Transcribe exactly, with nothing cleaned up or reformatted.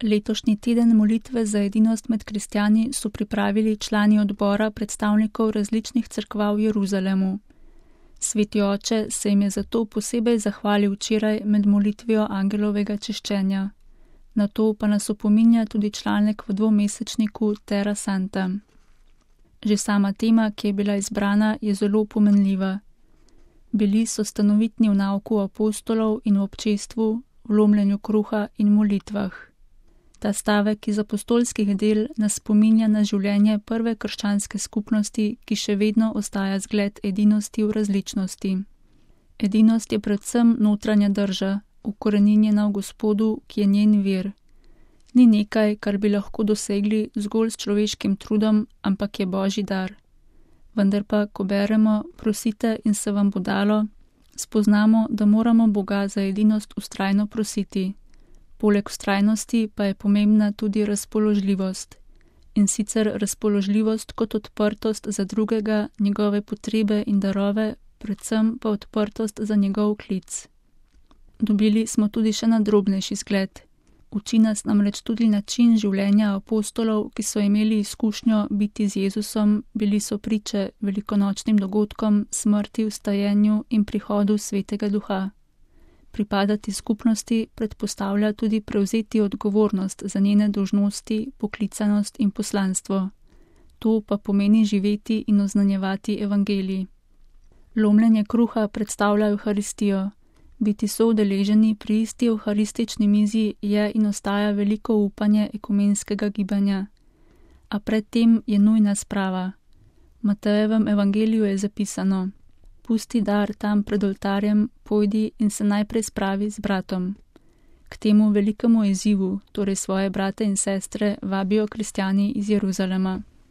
Letošnji teden molitve za edinost med kristjani so pripravili člani odbora predstavnikov različnih cerkva v Jeruzalemu. Sveti oče se jim je zato posebej zahvalil včeraj med molitvijo angelovega češčenja. Na to pa nas opominja tudi članek v dvomesečniku Terra Santa. Že sama tema, ki je bila izbrana, je zelo pomenljiva. Bili so stanovitni v nauku apostolov in v občestvu, v lomljenju kruha in molitvah. Ta stavek iz apostolskih del nas spominja na življenje prve krščanske skupnosti, ki še vedno ostaja zgled edinosti v različnosti. Edinost je predvsem notranja drža, ukoreninjena v Gospodu, ki je njen vir. Ni nekaj, kar bi lahko dosegli zgolj s človeškim trudom, ampak je Božji dar. Vendar pa, ko beremo, prosite in se vam bo dalo, spoznamo, da moramo Boga za edinost vztrajno prositi. Poleg vztrajnosti pa je pomembna tudi razpoložljivost. In sicer razpoložljivost kot odprtost za drugega, njegove potrebe in darove, predvsem pa odprtost za njegov klic. Dobili smo tudi še nadrobnejši zgled. Uči nas namreč tudi način življenja apostolov, ki so imeli izkušnjo biti z Jezusom, bili so priče velikonočnim dogodkom, smrti, vstajenju in prihodu Svetega Duha. Pripadati skupnosti predpostavlja tudi prevzeti odgovornost za njene dolžnosti, poklicanost in poslanstvo. To pa pomeni živeti in oznanjevati evangelij. Lomljenje kruha predstavlja Evharistijo. Biti soudeleženi pri isti evharistični mizi je in ostaja veliko upanje ekumenskega gibanja. A predtem je nujna sprava. V Matejevem evangeliju je zapisano: pusti dar tam pred oltarjem, pojdi in se najprej spravi z bratom. K temu velikemu izzivu, torej svoje brate in sestre, vabijo kristjani iz Jeruzalema.